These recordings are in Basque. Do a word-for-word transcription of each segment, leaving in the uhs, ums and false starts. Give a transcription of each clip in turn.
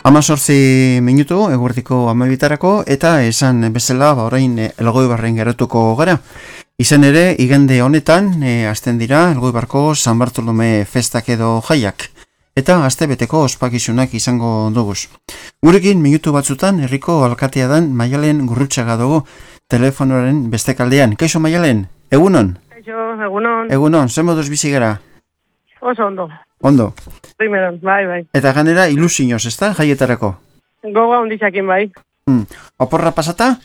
Amazortzi minutu, eguerdiko amabitarako, eta esan bezala, ba, orain Elgoibarren geratuko gara. Izan ere, igande honetan, e, azten dira, Elgoibarko San Bartolome festak edo jaiak. Eta astebeteko ospakizunak izango duguz. Gurekin, minutu batzutan, herriko alkatea dan Maialen Gurrutxaga dugu telefonoaren bestekaldean. Kaixo Maialen, egunon? Kaixo, egunon. Egunon, zen moduz bizi gara? Oso ondo. Ondo. Primeron, bai, bai. Eta ganera ilusioz, ez da, jaietarako? Gogoa ondixakin, bai. Hmm. Oporra pasata?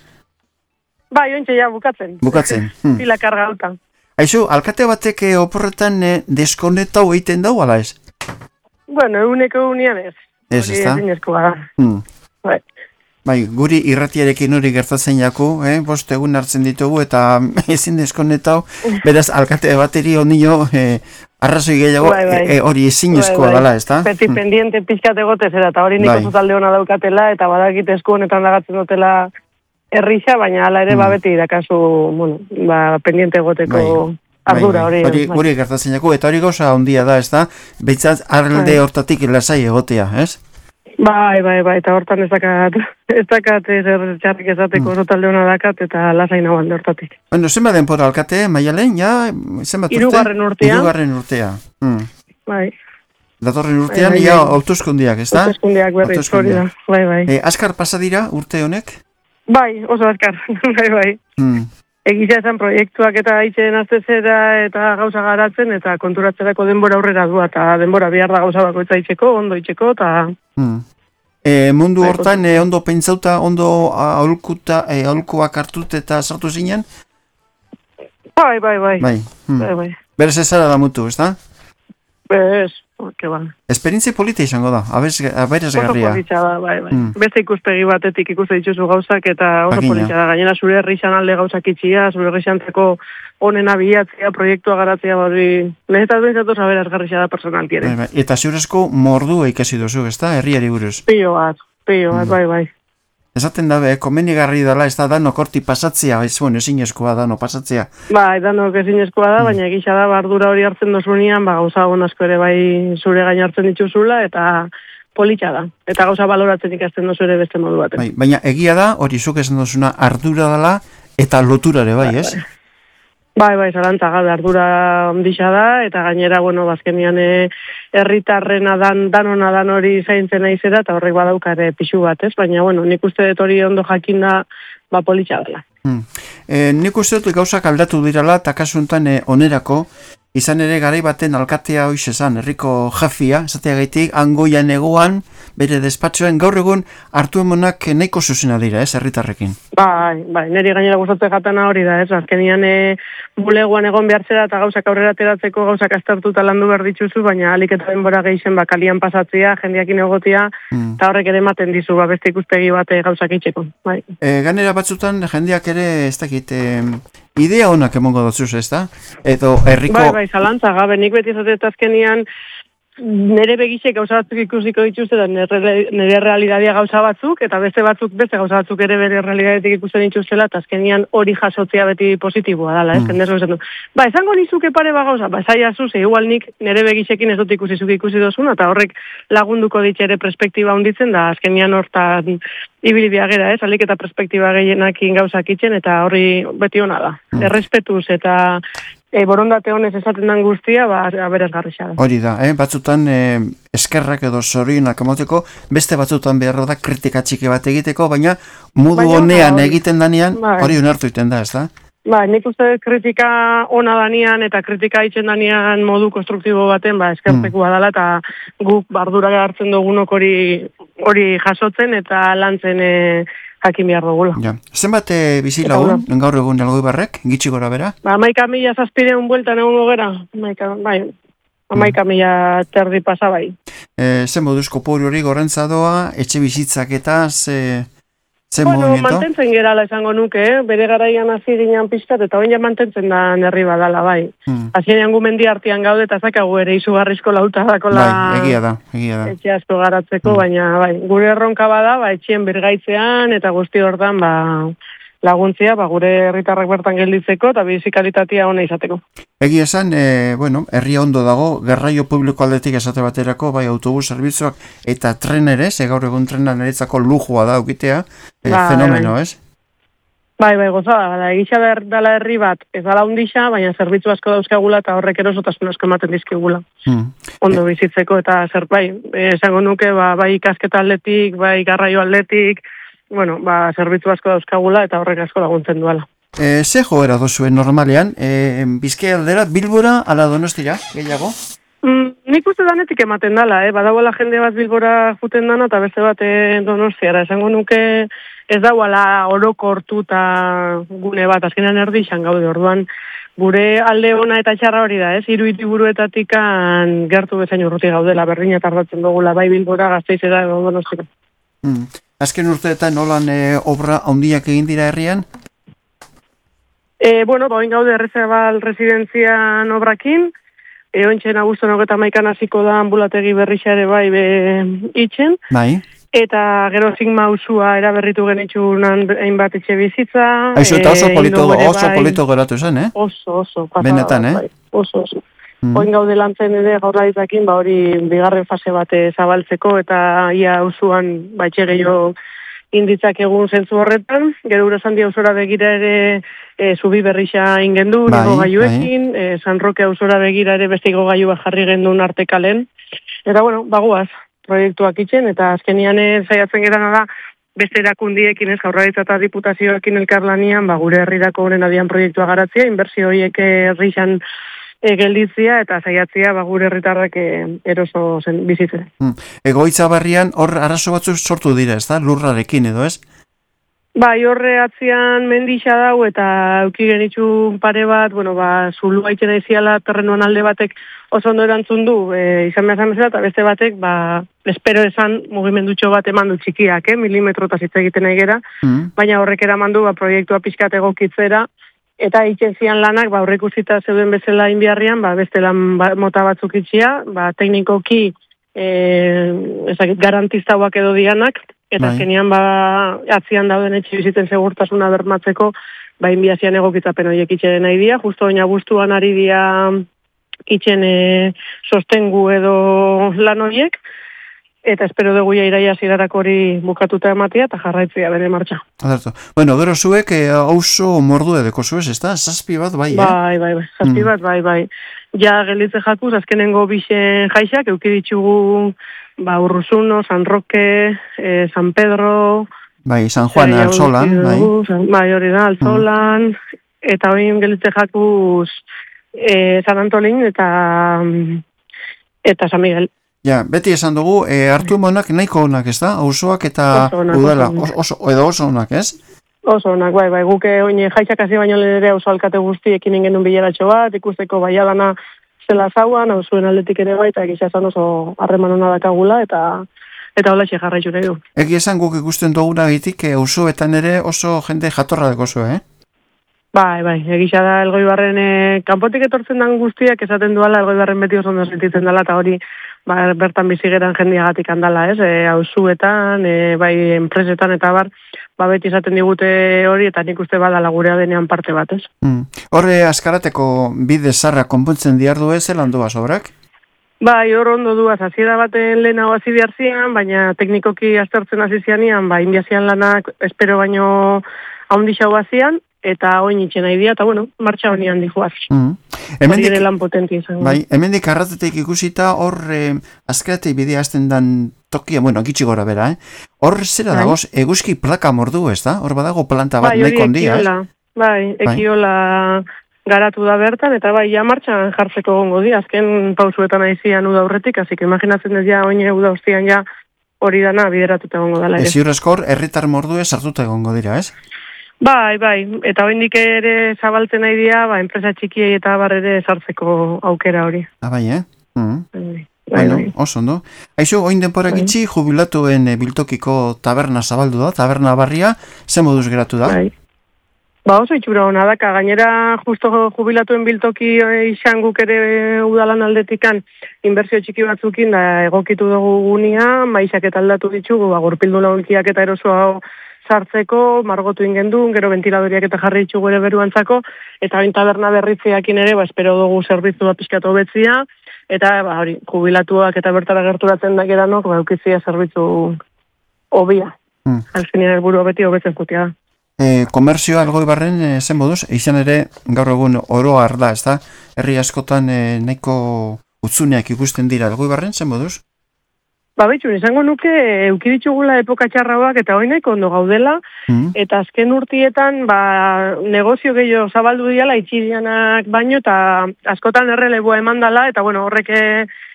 Bai, ointxe ja, bukatzen. Bukatzen. Hmm. Pila karga alta. Aizu, alkate batek oporretan eh, deskonetau egiten dau, ala ez? Bueno, eguneko unian ez. Ez, ez da? Hori ezin da. Hmm. Bai. Bai, guri irratiarekin hori gertatzen jaku, eh? Bost egun hartzen ditugu eta ezin deskonetau, beraz, alkate bateri onio eh, arrazoi gehiago hori bai, bai. e, e, ezin eskoa bai, bai. dela, ez da? Beti hmm. pendiente pixkat egotez era, eta hori nik bai. oso talde hona daukatela, eta badakit esku honetan lagatzen dutela errixa, baina hala ere hmm. ba beti dakazu, bueno, ba, pendiente egoteko bai. ardura hori. Bai, bai. Hori guri gertatzen jaku, eta hori gauza ondia da, ez da? Beitzat, arlde bai. hortatik lasai egotea, ez? Bai, bai, bai, eta hortan ez dakat, ez dakat zer txarrik esateko oso talde hona dakat, eta lasai nagoan hortatik. Bueno, zenbat denpora alkate, Maialen, ja, zenbat urte? Irugarren urtea. Irugarren urtea. Hmm. Bai. Datorren urtean, bai, bai, ja, bai. Hauteskundiak, ez da? Hauteskundiak berriz, hori da, bai, bai. Eh, askar pasadira urte honek? Bai, oso askar, bai, bai. Hmm. Egizia esan proiektuak eta itxeen aztezera eta gauza garatzen, eta konturatzerako denbora aurrera du, eta denbora bihar da gauza bako eta itxeko, ondo itxeko, eta... Hmm. E, mundu hortan e, ondo pentsauta, ondo aholkuta, e, aholkuak hartut eta sartu zinen? Bai, bai, bai. Bai, hmm. bai, bai. Berez ezara da mutu, ez da? Bez, que ba. Esperientzia polita izango da, aberazgarria. Oso politxa da, bai, bai. Hmm. Beste ikuspegi batetik ikuste dituzu gauzak, eta oso Bakina. politxa da. Gainera zure herrixan alde gauzak itxia, zure herrixantzeko onena bilatzea, proiektua garatzea, hori, lehetaz bentsatu aberazgarria da personalki ere. Bai, bai. Eta ziurezko mordua ikasi duzu, ez da? Herriari buruz. Pio bat, pio bat, hmm. bai, bai. Esaten dabe, komenigarri dela, ez da, dano korti pasatzea, ez bueno, ezin eskoa dano pasatzea. Bai, dano ezin eskoa da, baina egisa da, bardura hori hartzen dozunean, ba, gauza asko ere bai zure gain hartzen dituzula, eta politxa da. Eta gauza baloratzen ikasten dozu ere beste modu baten. Bai, baina egia da, hori zuk esan dozuna ardura dela, eta loturare bai, ez? Bai, bai, bai, zarantza gabe ardura ondisa da, eta gainera, bueno, bazkenian herritarrena dan, danona dan hori zaintzen naizera, eta horrek badaukare pixu bat, ez? Baina, bueno, nik uste dut hori ondo jakin da, ba, politxa dela. Hmm. E, nik uste dut gauzak aldatu dirala, eta kasuntan e, onerako, izan ere garai baten alkatea hoiz esan, herriko jafia, esateagaitik, angoian egoan, bere despatxoen, gaur egun hartu emonak nahiko zuzena dira, ez, herritarrekin. Bai, bai, niri gainera gustatzen jatana hori da, ez, azkenian e, bulegoan egon behartzera eta gauzak aurrera ateratzeko gauzak aztertuta landu behar dituzu, baina alik eta denbora gehien bakalian pasatzea, jendeakin egotia, hmm. eta horrek ere ematen dizu, ba, beste ikustegi bate gauzak itxeko. Bai. E, ganera batzutan jendeak ere, ez dakit, e, idea honak emongo dozuz, ez da? Edo herriko... Bai, bai, zalantza, gabe, nik beti zatet azkenian, nire begizek gauza batzuk ikusiko dituzte, da nire, nire realidadia gauza batzuk, eta beste batzuk, beste gauza batzuk ere bere realidadetik ikusten dituztela, eta azkenian hori jasotzea beti positiboa dala, ez, mm. jendez du. Ba, esango nizuke pare ba gauza, ba, zai azu, ze igual nik nire begizekin ez dut ikusi zuke ikusi dozun, eta horrek lagunduko ditxere perspektiba hunditzen, da azkenian hortan ibili biagera, ez, alik eta perspektiba gehienakin gauzak itzen, eta horri beti hona da. Mm. Errespetuz eta E, borondate honez esaten den guztia, ba, aberazgarria da. Hori da, eh? batzutan e, eskerrak edo zorionak emoteko, beste batzutan beharra da kritika txiki bat egiteko, baina modu baina, honean hori, egiten danean, bai. Hori onartu egiten da, ez da? Ba, nik uste kritika ona danean eta kritika itzen danean modu konstruktibo baten, ba, eskertekua mm. dela, eta guk bardura hartzen dugunok hori hori jasotzen eta lantzen e, jakin behar dugula. Ja. Zenbat e, bizi lagun, gaur egun Elgoibarrek, gitxi gora bera? Ba, amaika mila zazpireun bueltan egun gogera. Amaika, bai, amaika mm. mila terdi pasa bai. E, zen moduzko poru hori gorrentza doa, etxe bizitzak eta ze... Zer bueno, movimiento? Mantentzen gerala esango nuke, eh? Bere garaian hasi ginen pixkat, eta hori ja mantentzen da nerri badala, bai. Hmm. Hasieran gu mendi artean gaude, eta zakagu ere izugarrizko lauta dakola... Bai, egia da, egia da. Etxe asko garatzeko, hmm. baina, bai, gure erronka bada, ba, etxien birgaitzean, eta guzti hortan, ba, laguntzia, ba, gure herritarrak bertan gelditzeko eta bizikalitatea ona izateko. Egi esan, e, bueno, herria ondo dago, garraio publiko aldetik esate baterako, bai autobus zerbitzuak eta tren ere, ze gaur egun trena niretzako lujua da ukitea, e, ba, fenomeno, bai. Ez? Bai, bai, gozada, da, egisa dela herri bat, ez dala hundisa, baina zerbitzu asko dauzkagula eta horrek erosotasun asko ematen dizkigula. Hmm. Ondo bizitzeko eta zer, bai, esango nuke, ba, bai ikasketa aldetik, bai garraio aldetik, bueno, ba, zerbitzu asko dauzkagula eta horrek asko laguntzen duela. E, ze joera dozuen normalean, e, Bizkaia aldera, Bilbora, ala Donostira, gehiago? Mm, nik uste danetik ematen dala, eh? Badagoela jende bat Bilbora juten dana eta beste bat eh, Donostiara. Esango nuke ez dauala orokortu eta gune bat, azkenean erdixan gaude, orduan gure alde ona eta txarra hori da, ez? Hiru hiriburuetatik gertu bezain urruti gaudela, berdina tardatzen dugula, bai Bilbora, Gasteizera edo Donostira. Mm. Azken urteetan nolan e, obra handiak egin dira herrian? E, bueno, ba, oin gaude Errezabal residenzian obrakin, e, ointxen abuzton hogeta maikan hasiko da ambulategi berrixare bai be itxen. Bai. Eta gero Sigma usua eraberritu genitxunan hainbat etxe bizitza. Aizu, eta oso e, polito, oso bai, polito geratu zen, eh? Oso, oso. Pasa, benetan, eh? Bai, oso, oso. Mm. Oin gaude lantzen ere gaurlaritzakin, ba hori bigarren fase bate zabaltzeko eta ia usuan baitxe gehiago inditzak egun zentzu horretan, gero Urasandia auzora begira ere e, zubi berrixa ingendu, bai, nigo gaiuekin, bai. e, San Roque auzora begira ere beste gaiu bat jarri gendun artekalen, eta bueno, bagoaz, proiektuak itxen, eta azkenian saiatzen gerana da, beste erakundiekin ez, Jaurlaritza eta diputazioekin elkarlanian, ba, gure herrirako honen adian proiektua garatzea, inbertsio horiek herrixan E, gelditzia eta saiatzia ba, gure herritarrak e, eroso zen bizitzen. Hmm. Egoitza barrian hor arazo batzu sortu dira, ez da? Lurrarekin edo ez? Bai, horre atzian mendixa dau eta euki genitxun pare bat, bueno, ba, zulua itxena iziala terrenuan alde batek oso ondo erantzun du, e, izan behar zamezela, eta beste batek, ba, espero esan mugimendutxo bat eman du txikiak, eh, milimetro eta zitza egiten egera, hmm. baina horrek eraman du, ba, proiektua pixkat egokitzera, eta itxen zian lanak, ba, horrek uzita zeuden bezala inbiarrian, ba, beste lan ba, mota batzuk itxia, ba, teknikoki e, ezakit, garantista huak edo dianak, eta azkenean ba, atzian dauden etxe biziten segurtasuna bermatzeko, ba, inbiazian egokitzapen horiek itxeren nahi dia, justo oina guztuan ari dia itxen e, sostengu edo lan horiek, eta espero dugu ja iraia zirarako hori bukatuta ematia eta jarraitzia bere martxa. Adarto. Bueno, gero zuek eh, oso mordu edeko zuez, ez da? Zazpi bat, bai, eh? Bai, bai, bai. Zazpi bat, bai, bai. Ja, gelitze jakuz, azkenengo bixen jaixak, euki ditugu, ba, Urruzuno, San Roque, eh, San Pedro... Bai, San Juan, Altzolan, bai. Bai, hori da, Altzolan, mm. eta hori gelitze jakuz eh, San Antolin eta, eta San Miguel. Ja, beti esan dugu, e, hartu monak nahiko onak, ez da? Auzoak eta udala, oso, oso, edo oso onak, ez? Oso onak, bai, bai, guke oine jaixak hasi baino ere auzo alkate guztiekin ingen un bileratxo bat, ikusteko baiadana zela zauan, auzuen aldetik ere bai, eta egisa esan oso harreman hona dakagula, eta eta hola xe jarraitu nahi du. Egi esan guk ikusten duguna egitik, auzoetan ere oso jende jatorra deko zu, eh? Bai, bai, egisa da Elgoibarren e, kanpotik etortzen dan guztiak esaten duala Elgoibarren beti oso ondo sentitzen dela, eta hori ba, bertan bizigeran jendiagatik handala, ez? E, auzuetan, e, bai, enpresetan eta bar, ba, beti esaten digute hori, eta nik uste badala gurea denean parte bat, ez? Mm. Horre askarateko bide zarra konpontzen diardu ez, zelan duaz obrak? Bai, hor ondo duaz, aziera baten lehenago hasi biharzian, baina teknikoki aztertzen hasi zianian, ba, inbiazian lanak espero baino haundixau bazian, eta oin itxen nahi dia, eta bueno, martxa honi handi joaz. Mm. Hori ere lan potenti izango. Bai, hemendik arratetek ikusita, hor eh, azkaratei bidea azten dan tokia, bueno, gitxi gora bera, eh? Hor zera bai. Dagoz, eguzki plaka mordu, ez da? Hor badago planta bat bai, nahi kondia, eh? Bai, ekiola garatu da bertan, eta bai, ja martxan jartzeko gongo di, azken pausuetan aizian uda aurretik, hasi que imaginatzen ez ja, oine uda ustian ja hori dana bideratuta gongo dela. Ez ziurrezkor, herritar mordu ez hartuta gongo dira, ez? Bai, bai, eta hoindik ere zabaltzen nahi dira, ba, enpresa txikiei eta bar ere sartzeko aukera hori. Ah, bai, eh? Mm. Bai, bai. Bueno, oso, no? Aizu, oin denpora gitxi, jubilatuen e, biltokiko taberna zabaldu da, taberna barria, ze moduz geratu da? Bai. Ba, oso itxura hona daka, gainera justo jubilatuen biltoki izan guk ere udalan aldetikan inbertsio txiki batzukin da egokitu dugu gunia, maizak eta aldatu ditugu, ba, gurpildu launkiak eta eroso hau sartzeko, margotu ingendun, gero ventiladoriak eta jarri ditugu ere beruantzako, eta bain taberna berritzeakin ere, ba, espero dugu zerbitzu bat pixkatu betzia, eta ba, hori, jubilatuak eta bertara gerturatzen da geranok, ba, eukizia zerbitzu hobia. Mm. Alfinean helburu beti hobetzen kutia da. E, komerzioa Elgoibarren e, zen moduz, izan ere gaur egun oro da, ez da? Herri askotan e, nahiko utzuneak ikusten dira Elgoibarren zen moduz? Ba, betxun, izango nuke, eukiditxugula epoka txarrauak eta hoinek ondo gaudela, mm. eta azken urtietan, ba, negozio gehiago zabaldu diala, itxirianak baino, eta askotan erreleboa eman dala, eta bueno, horrek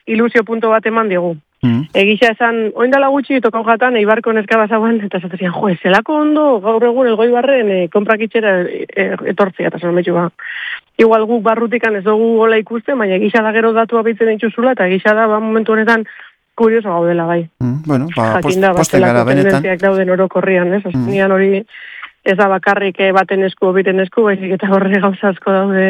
ilusio punto bat eman digu. Mm. Egisa esan, oindala gutxi tokau jatan, eibarko neska bazagoan, eta esatzen, jo, zelako ondo, gaur egun Elgoibarren e, konprakitxera e, etortzea, eta zan betxu ba. Igual guk barrutikan ez dugu gola ikusten, baina egisa da gero datua bitzen dituzula, eta egisa da, ba, momentu honetan, kurioso gaudela bai. Mm, bueno, ba, Jakinda, post, posten gara benetan. Dauden orokorrian, ez? Azkenean mm. hori ez da bakarrik baten esku, biten esku, baizik eta horre gauza asko daude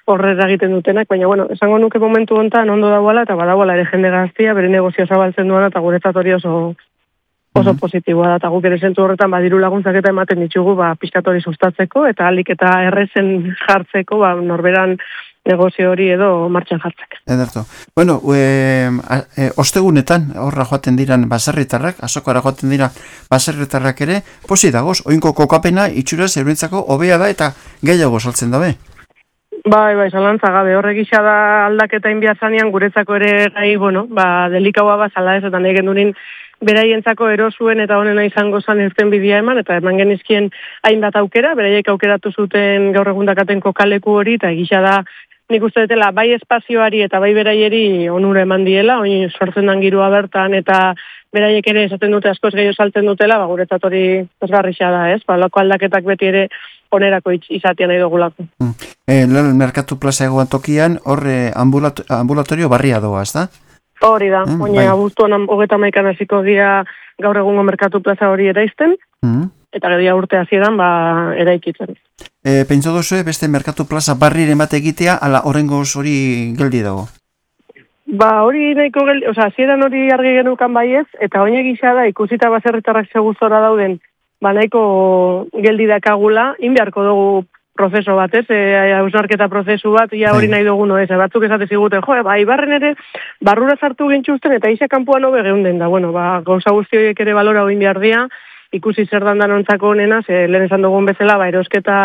horrera egiten dutenak, baina, bueno, esango nuke momentu hontan ondo dagoela, eta badagoela ere jende gaztia, bere negozio zabaltzen duana, eta guretzat hori oso, oso mm-hmm. positiboa da, eta guk ere zentu horretan badiru laguntzak eta ematen ditugu, ba, pixkatori sustatzeko, eta alik eta errezen jartzeko, ba, norberan negozio hori edo martxan jartzak. Ederto. Bueno, e, e, ostegunetan horra joaten diran baserritarrak, azokara joaten dira baserritarrak ere, posi dagoz, oinko kokapena itxuraz eurentzako hobea da eta gehiago saltzen dabe. Bai, bai, zalantza gabe, horrek isa da aldaketa inbiazanean guretzako ere gai, bueno, ba, delikaua bazala ez, eta nahi gendurin beraientzako erosuen eta honena izango zan irten bidea eman, eta eman genizkien hainbat aukera, beraiek aukeratu zuten gaur egundakaten kokaleku hori, eta egisa da nik uste dutela, bai espazioari eta bai beraieri onura eman diela, oin sortzen dan girua bertan, eta beraiek ere esaten dute askoz gehiago saltzen dutela, ba, guretzat hori pozgarrisa da, ez? Ba, loko aldaketak beti ere onerako izatea nahi dugulako. Mm. E, Merkatu plaza egoan tokian, horre ambulat- ambulatorio barria doa, ez da? Hori da, mm, oina bai. Abuztuan hogeta maikan hasiko dira gaur egungo Merkatu plaza hori eraizten, mm. eta gedia urte hasieran ba, eraikitzen. E, Pentsa duzue beste Merkatu plaza barriren bat egitea, ala horrengoz hori geldi dago? Ba, hori nahiko geldi, oza, hasieran hori argi genukan baiez, eta oina gisa da ikusita baserritarrak segustora dauden, ba, nahiko geldi dakagula, inbeharko dugu prozeso bat, ez, e, hausnarketa prozesu bat, ia hori nahi dugu noez, batzuk esate ziguten, jo, ba, ibarren ere, barrura sartu gintxuzten, eta isa kanpuan hobe geunden da, bueno, ba, gauza guzti horiek ere balora oin behar dia, ikusi zer dandan ontzako honena, ze lehen esan dugun bezala, ba, erosketa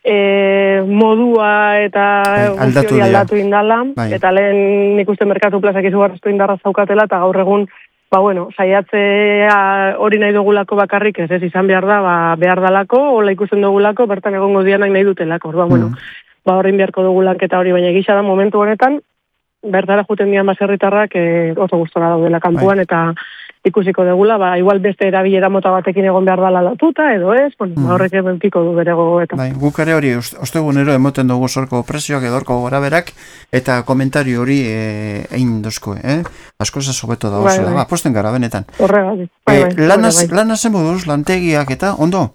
e, modua eta guzti hori aldatu indala, bai. Eta lehen nik uste Merkatu plazak izugarrezko indarra zaukatela, eta gaur egun, ba, bueno, saiatzea hori nahi dugulako bakarrik, ez ez izan behar da, ba, behar dalako, hola ikusten dugulako, bertan egongo dianak nahi dutelako, ba, bueno, mm. ba, horrein beharko dugulanketa hori, baina gisa da momentu honetan, bertara juten dian baserritarrak e, oso gustora daudela kanpuan, bai. Eta ikusiko degula, ba, igual beste erabilera mota batekin egon behar dala lotuta, edo ez, bueno, mm. horrek ebentiko du berego eta. Bai, guk ere hori, ostegunero emoten dugu zorko prezioak edorko goraberak, eta komentario hori egin dozko, eh? Asko zazo beto da, bai, bai. Ba, posten gara, benetan. Horregatik, bai, bai. E, lanaz, bai. Lanaz moduz, lantegiak eta, ondo?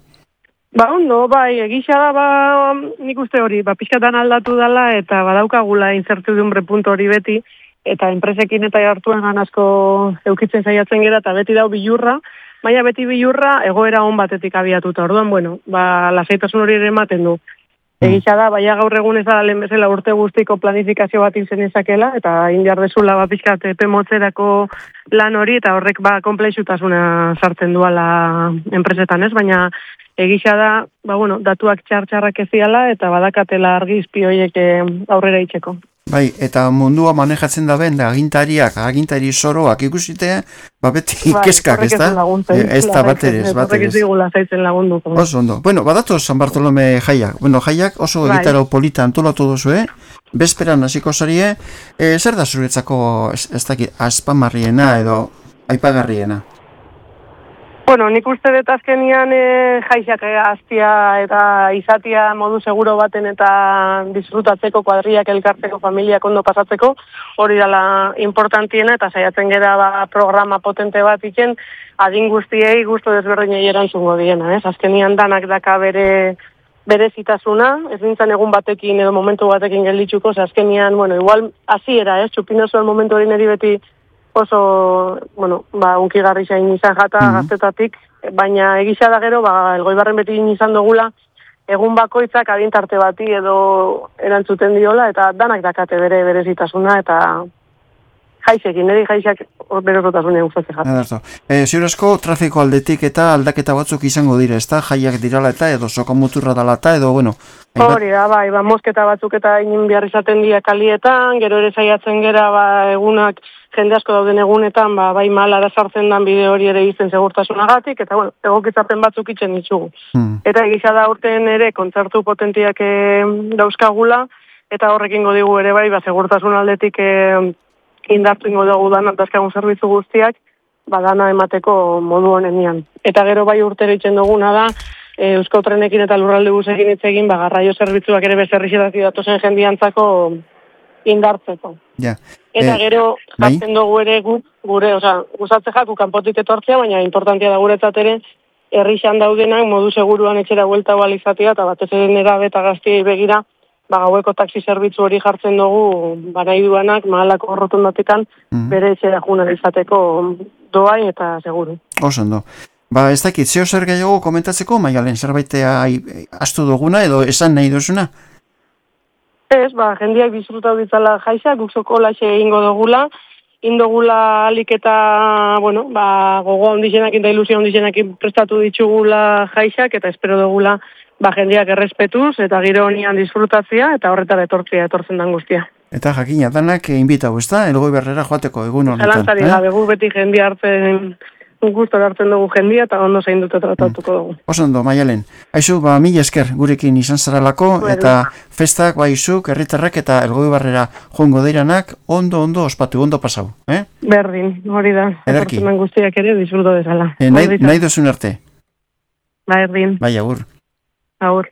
Ba, ondo, bai, egisa da, ba, nik uste hori, ba, pixkatan aldatu dala, eta badaukagula incertidumbre punto hori beti, eta enpresekin eta hartuen asko eukitzen saiatzen gera, eta beti dau bilurra, baina beti bilurra egoera on batetik abiatuta. Orduan, bueno, ba, lasaitasun hori ere ematen du. Egisa da, baina gaur egun ez da lehen bezala urte guztiko planifikazio bat izen ezakela, eta indiar dezula ba, pixkat epe motzerako lan hori, eta horrek ba, komplexutasuna sartzen duala enpresetan ez, baina egisa da, ba, bueno, datuak txar-txarrak eziala, eta badakatela argizpi horiek aurrera itxeko. Bai, eta mundua manejatzen da ben, da agintariak, agintari soroak ikusite, ba beti bai, keskak, ez da? Ez da baterez, baterez. Oso ondo. Bueno, badatu San Bartolome jaiak. Bueno, jaiak oso bai. Gitarau polita antolatu duzu, eh? Bezperan hasiko zarie, e, zer da zuretzako, ez, ez dakit, aspamarriena edo aipagarriena? Bueno, nik uste dut azkenian e, jaixak aztia eta izatia modu seguro baten eta disfrutatzeko, kuadriak elkartzeko, familiak ondo pasatzeko, hori dela importantiena eta saiatzen gera ba, programa potente bat iken, adin guztiei gustu desberdinei erantzungo diena, ez? Azkenian danak daka bere berezitasuna, ez nintzen egun batekin edo momentu batekin gelditzuko, azkenian, bueno, igual hasiera, ez? Txupino zuen momentu hori niri beti oso, bueno, ba, unkigarri zain izan jata mm -hmm. gaztetatik, baina egisa da gero, ba, Elgoibarren beti izan dugula, egun bakoitzak adintarte bati edo erantzuten diola, eta danak dakate bere berezitasuna, eta jaizekin, niri jaizak berezotasunean gustatzen jata. E, Ziur asko, trafiko aldetik eta aldaketa batzuk izango dire, ezta? Jaiak dirala eta edo sokomuturra dala eta edo, bueno... Hori da, bai, ba, mosketa batzuk eta inin behar izaten dira kalietan, gero ere saiatzen gera, ba, egunak, jende asko dauden egunetan, ba, bai malara sartzen dan bide hori ere izten segurtasunagatik, eta, bueno, egokitzapen batzuk itxen ditugu. Hmm. Eta egisa da urten ere, kontzertu potentiak e, dauzkagula, eta horrekin godigu ere bai, ba, segurtasun aldetik e, indartu ingo dugu dan, dazkagun zerbitzu guztiak, badana emateko modu honenian. Eta gero bai urtero itxen duguna da, e, Eusko Trenekin eta Lurralde Busekin hitz egin, ba, garraio zerbitzuak ere bezerrixetati datozen jendiantzako indartzeko. Ja. Eta gero, jartzen bai? Dugu ere guk, gure, oza, guzatze jaku kanpotik etortzea, baina importantia da guretzat ere, herrixan daudenak modu seguruan etxera buelta balizatia, eta batez ere nerabe eta gaztiei begira, ba, gaueko taxi zerbitzu hori jartzen dugu, ba, nahi duanak, mahalako rotundatikan, mm -hmm. bere etxera junan izateko doai eta seguru. Osondo. Ba, ez dakit, zeo zer gehiago komentatzeko, Maialen, zerbaitea astu duguna edo esan nahi duzuna? Ez, ba, jendiak disfrutau ditzala jaisa, guksoko laxe egingo dugula, indogula alik eta, bueno, ba, gogo ondizenak eta ilusio ondizenak prestatu ditugula jaisak, eta espero dugula, ba, jendiak errespetuz, eta giro honian disfrutatzia, eta horretara etortzia, etortzen dan guztia. Eta jakina, danak inbitau, ez da? Elgoibarrera joateko egun honetan. Zalantzari gabe, gu beti jendia hartzen... gustora hartzen dugu jendia eta ondo zain dute tratatuko dugu. Oso ondo, Maialen. Aizu, ba, mila esker gurekin izan zaralako, bueno. Eta festak, ba, izuk, herritarrak eta Elgoibarrera joango deiranak, ondo, ondo, ospatu, ondo pasau. Eh? Berdin, hori da. Ederki. Etortzen guztiak ere, disfruto dezala. Eh, nahi, nahi duzun arte. Ba, erdin. Bai, agur. Agur.